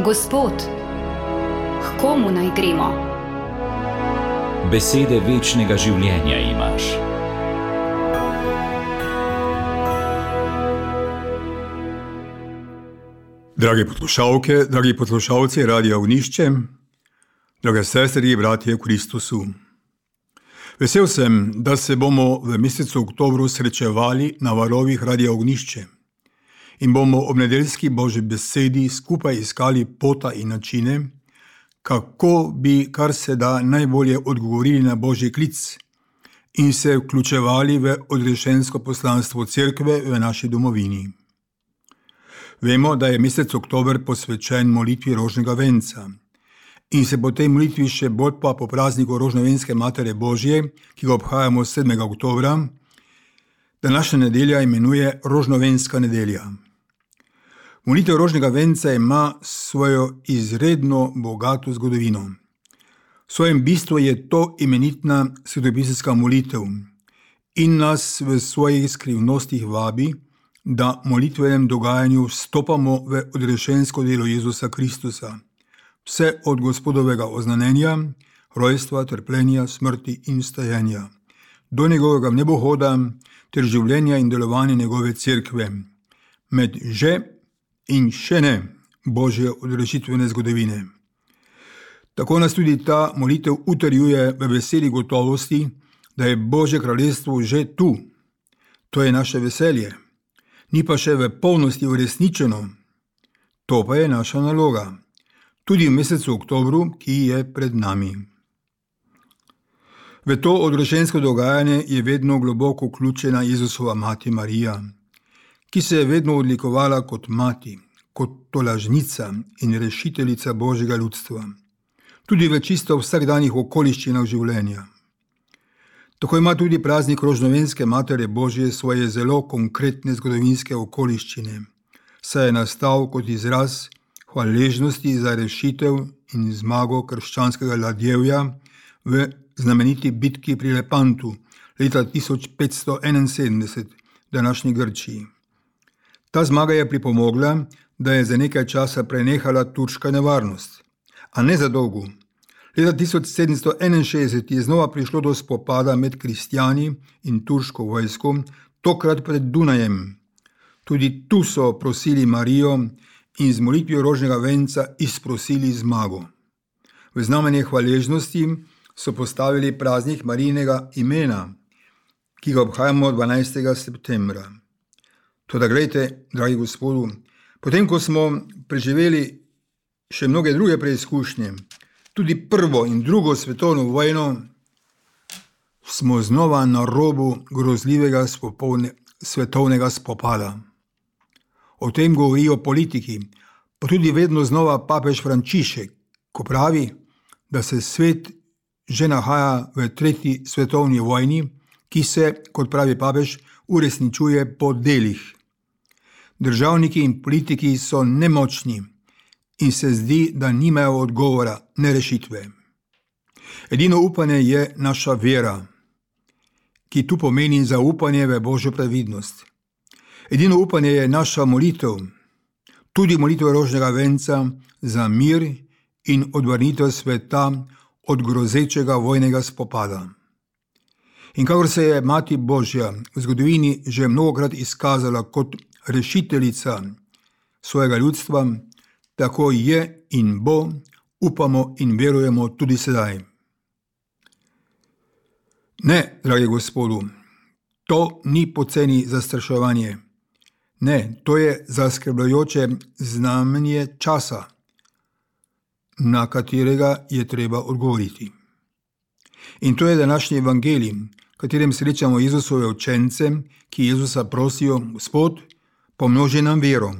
Gospod, k komu naj gremo? Besede večnega življenja imaš. Drage poslušalke, dragi poslušalci Radia Ognišče, drage sestre in bratje v Kristusu. Vesel sem, da se bomo v mesecu oktobru srečevali na valovih Radia Ognišče in bomo ob nedeljski Božji besedi skupaj iskali pota in načine, kako bi kar se da najbolje odgovorili na Božji klic in se vključevali v odrešensko poslanstvo Cerkve v naši domovini. Vemo, da je mesec oktober posvečen molitvi rožnega venca in se po tej molitvi še bolj pa po prazniku rožnovenske Matere Božje, ki ga obhajamo 7. oktobra, današnja nedelja imenuje rožnovenska nedelja. Molitev rožnega venca ima svojo izredno bogato zgodovino. V svojem bistvu je to imenitna svetopisemska molitev in nas v svojih skrivnostih vabi, da molitvenem dogajanju vstopamo v odrešensko delo Jezusa Kristusa, vse od Gospodovega oznanjenja, rojstva, trpljenja, smrti in vstajenja, do njegovega nebohoda ter življenja in delovanja njegove cerkve, med že in še ne Božje odrešitvene zgodovine. Tako nas tudi ta molitev utrjuje v veseli gotovosti, da je Božje kraljestvo že tu. To je naše veselje. Ni pa še v polnosti uresničeno. To pa je naša naloga, tudi v mesecu oktobru, ki je pred nami. V to odrešensko dogajanje je vedno globoko vključena Jezusova mati Marija, ki se je vedno odlikovala kot mati, kot tolažnica in rešiteljica Božjega ljudstva, tudi v čisto vsakdanjih okoliščinah življenja. Tako ima tudi praznik rožnovenske Matere Božje svoje zelo konkretne zgodovinske okoliščine, saj je nastal kot izraz hvaležnosti za rešitev in zmago krščanskega ladjevja v znameniti bitki pri Lepantu leta 1571 v današnji Grčiji. Ta zmaga je pripomogla, da je za nekaj časa prenehala turška nevarnost, a ne za dolgo. Leta 1761 je znova prišlo do spopada med kristjani in turško vojsko, tokrat pred Dunajem. Tudi tu so prosili Marijo in z molitvijo rožnega venca izprosili zmago. V znamenje hvaležnosti so postavili praznik Marijinega imena, ki ga obhajamo 12. septembra. Toda glejte, dragi Gospodu, potem ko smo preživeli še mnoge druge preizkušnje, tudi prvo in drugo svetovno vojno, smo znova na robu grozljivega svetovnega spopada. O tem govorijo politiki, pa tudi vedno znova papež Frančišek, ko pravi, da se svet že nahaja v 3. svetovni vojni, ki se, kot pravi papež, uresničuje po delih. Državniki in politiki so nemočni in se zdi, da nimajo odgovora, ne rešitve. Edino upanje je naša vera, ki tu pomeni zaupanje v Božjo previdnost. Edino upanje je naša molitev, tudi molitev rožnega venca za mir in odvrnitev sveta od grozečega vojnega spopada. In kakor se je Mati Božja v zgodovini že mnogokrat izkazala kot rešiteljica svojega ljudstva, tako je in bo, upamo in verujemo tudi sedaj. Ne, dragi Gospodu, to ni poceni zastraševanje. Ne, to je zaskrbljujoče znamenje časa, na katerega je treba odgovoriti. In to je današnji evangelij, v katerem srečamo Jezusove učence, ki Jezusa prosijo: Gospod, pomnoži nam vero.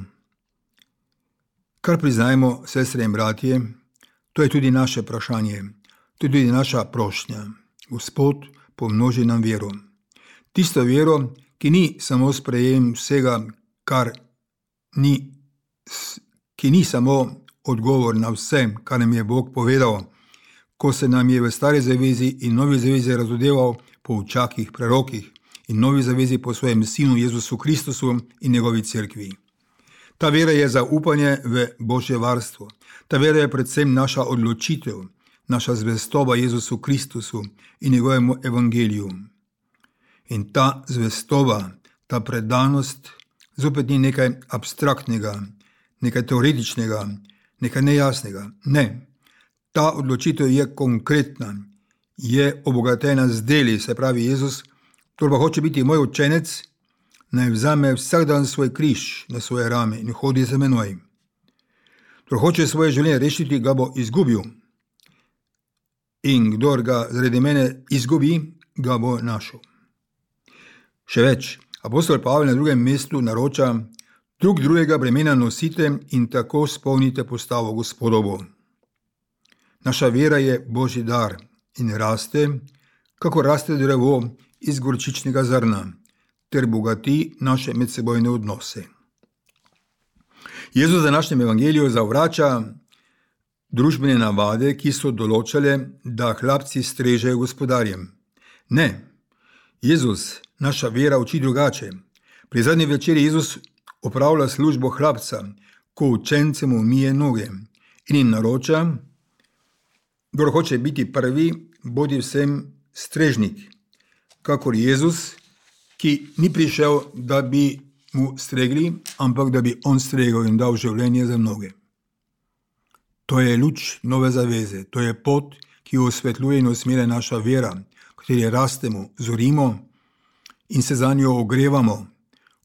Kar priznajmo, sestre in bratje, to je tudi naše vprašanje, to je tudi naša prošnja. Gospod, pomnoži nam vero. Tisto vero, ki ni samo sprejem vsega, ki ni samo odgovor na vse, kar nam je Bog povedal, ko se nam je v Stari zavezi in Novi zavezi razodeval po učakih, prerokih in Novi zavezi po svojem Sinu Jezusu Kristusu in njegovi cerkvi. Ta vera je zaupanje v Božje varstvo. Ta vera je predvsem naša odločitev, naša zvestoba Jezusu Kristusu in njegovemu evangeliju. In ta zvestoba, ta predanost zopet ni nekaj abstraktnega, nekaj teoretičnega, nekaj nejasnega. Ne, ta odločitev je konkretna, je obogatena z deli, se pravi Jezus, kdo pa hoče biti moj učenec, naj vzame vsak dan svoj križ na svoje rame in hodi za menoj. Kdo hoče svoje življenje rešiti, ga bo izgubil. In kdor ga zaradi mene izgubi, ga bo našel. Še več, apostol Pavel na drugem mestu naroča, drug drugega bremena nosite in tako spolnite postavo Gospodovo. Naša vera je Božji dar in raste, kako raste drevo iz gorčičnega zrna, ter bogati naše medsebojne odnose. Jezus v današnjem evangeliju zavrača družbene navade, ki so določale, da hlapci strežejo gospodarjem. Ne, Jezus, naša vera uči drugače. Pri zadnji večeri Jezus opravlja službo hlapca, ko učencem umije noge in jim naroča, kdor hoče biti prvi, bodi vsem strežnik, kakor Jezus, ki ni prišel, da bi mu stregli, ampak da bi on stregel in dal življenje za mnoge. To je luč nove zaveze, to je pot, ki jo osvetljuje in usmerja naša vera, kateri rastemo, zorimo in se za njo ogrevamo,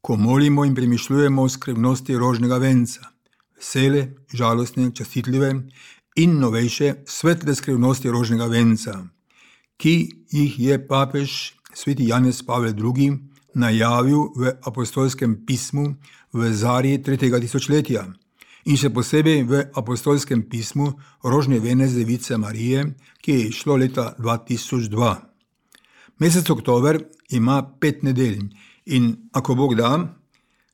ko molimo in premišljujemo o skrivnosti rožnega venca, vesele, žalostne, častitljive in novejše svetle skrivnosti rožnega venca, ki jih je papež sveti Janez Pavel II. Najavil v apostolskem pismu v zarji 3. tisočletja in še posebej v apostolskem pismu rožne vene z Device Marije, ki je išlo leta 2002. Mesec oktober ima 5 nedelj in ako Bog da,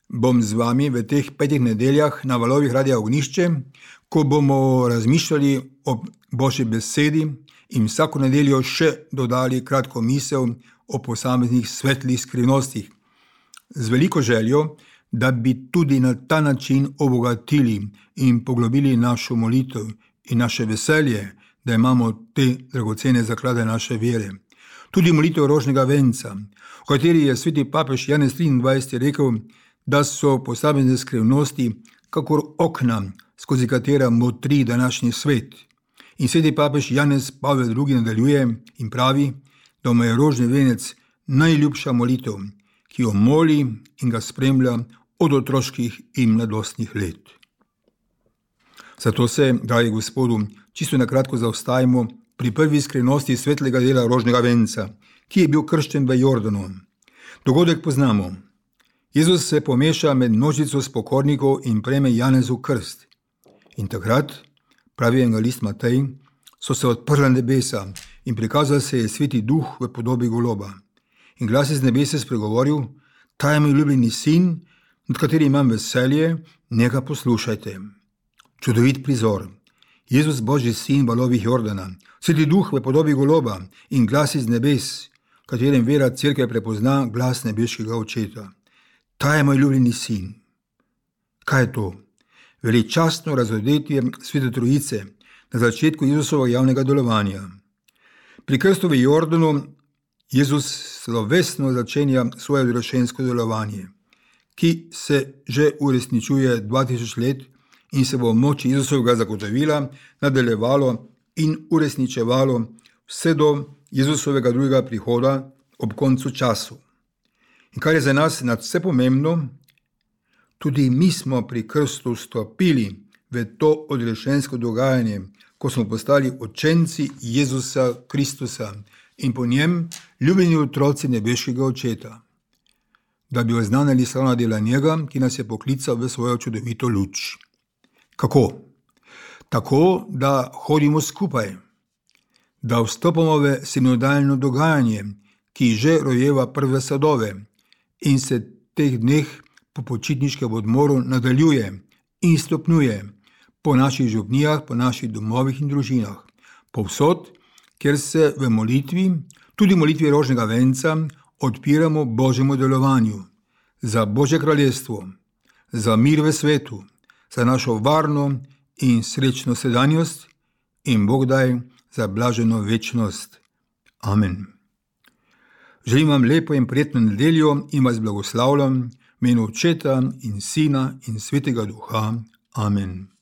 bom z vami v teh 5 nedeljah na valovih Radia Ognišče, ko bomo razmišljali o Božji besedi in vsako nedeljo še dodali kratko misel o posameznih svetlih skrivnostih, z veliko željo, da bi tudi na ta način obogatili in poglobili našo molitev in naše veselje, da imamo te dragocene zaklade naše vere. Tudi molitev rožnega venca, v kateri je sveti papež Janez 23. rekel, da so posamezne skrivnosti kakor okna, skozi katera motri današnji svet. In sveti papež Janez Pavel II. Nadaljuje in pravi, da mu je rožni venec najljubša molitev, ki jo moli in ga spremlja od otroških in mladostnih let. Zato se, dragi Gospodu, čisto na kratko zaostajamo pri prvi skrivnosti svetlega dela rožnega venca, ki je bil kršten v Jordanu. Dogodek poznamo. Jezus se pomeša med množico spokornikov in prejme Janezov krst. In takrat, pravi evangelist Matej, so se odprla nebesa in prikazal se je sveti duh v podobi goloba. In glas iz nebesa spregovoril, ta je moj ljubljeni sin, nad katerim imam veselje, njega poslušajte. Čudovit prizor. Jezus, Božji sin, valovih Jordana, sveti duh v podobi goloba in glas iz nebes, katerem vera cerkev prepozna glas nebeškega očeta. Ta je moj ljubljeni sin. Kaj je to? Veličastno razodetje svete trojice na začetku Jezusovega javnega delovanja. Pri krstu v Jordanu Jezus slovesno začenja svoje odrešensko delovanje, ki se že uresničuje 2000 let in se bo v moči Jezusovega zagotovila, nadaljevalo in uresničevalo vse do Jezusovega drugega prihoda ob koncu času. In kar je za nas nadvse pomembno, tudi mi smo pri krstu vstopili v to odrešensko dogajanje, ko smo postali učenci Jezusa Kristusa in po njem ljubljeni otroci nebeškega očeta, da bi oznanili slavna dela njega, ki nas je poklical v svojo čudovito luč. Kako? Tako, da hodimo skupaj, da vstopamo v sinodalno dogajanje, ki že rojeva prve sadove in se teh dneh po počitniškem odmoru nadaljuje in stopnjuje po naših župnijah, po naših domovih in družinah, povsod, kjer se v molitvi, tudi molitvi rožnega venca, odpiramo Božjemu delovanju, za Božje kraljestvo, za mir v svetu, za našo varno in srečno sedanjost in Bog daj za blaženo večnost. Amen. Želim vam lepo in prijetno nedeljo in vas blagoslavljam v imenu Očeta in Sina in Svetega Duha. Amen.